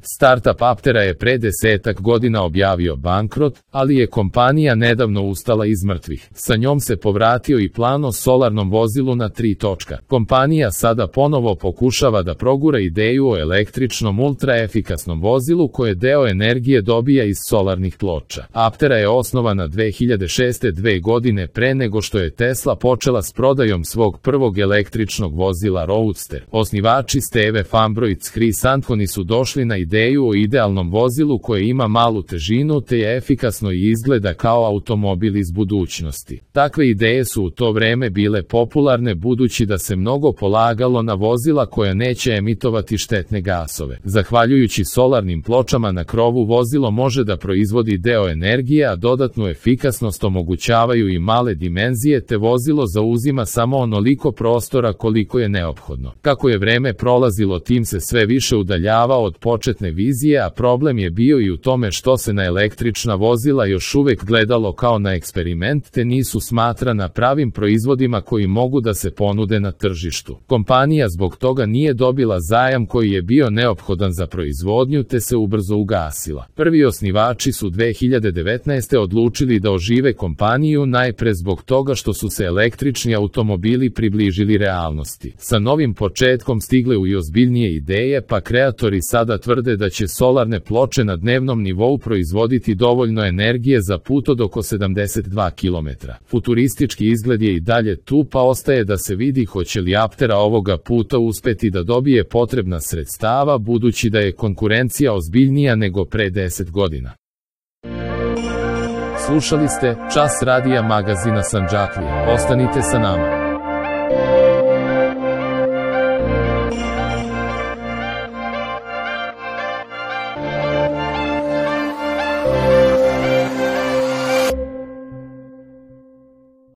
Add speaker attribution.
Speaker 1: Startup Aptera je pre 10 godina objavio bankrot, ali je kompanija nedavno ustala iz mrtvih. Sa njom se povratio i plan o solarnom vozilu na 3 točka. Kompanija sada ponovo pokušava da progura ideju o električnom ultraefikasnom vozilu koje deo energije dobija iz solarnih ploča. Aptera je osnovana 2006. 2 godine pre nego što je Tesla počela s prodajom svog prvog električnog vozila Roadster. Osnivači Steve Fambro i Chris Anthony su došli na ideju o idealnom vozilu koje ima malu težinu te je efikasno i izgleda kao automobil iz budućnosti. Takve ideje su u to vreme bile popularne budući da se mnogo polagalo na vozila koja neće emitovati štetne gasove. Zahvaljujući solarnim pločama na krovu vozilo može da proizvodi deo energije, a dodatnu efikasnost omogućavaju i male dimenzije te vozilo zauzima samo onoliko prostora koliko je neophodno. Kako je vreme prolazilo, tim se sve više udaljavao od početne vizije, a problem je bio i u tome što se na električna vozila još uvek gledalo kao na eksperiment te nisu smatrana pravim proizvodima koji mogu da se ponude na tržištu. Kompanija zbog toga nije dobila zajam koji je bio neophodan za proizvodnju te se ubrzo ugasila. Prvi osnivači su 2019. odlučili da ožive kompaniju najpre zbog toga što su se električni automobili približili realnosti. Sa novim početkom stigle u i ozbiljnije ideje, pa kreatori sada tvrde da će solarne ploče na dnevnom nivou proizvoditi dovoljno energije za put od oko 72 km. Futuristički izgled je i dalje tu, pa ostaje da se vidi hoće li Aptera ovoga puta uspeti da dobije potrebna sredstava budući da je konkurencija ozbiljnija nego pre 10 godina. Slušali ste Čas radija magazina Sandžaklije. Ostanite sa nama.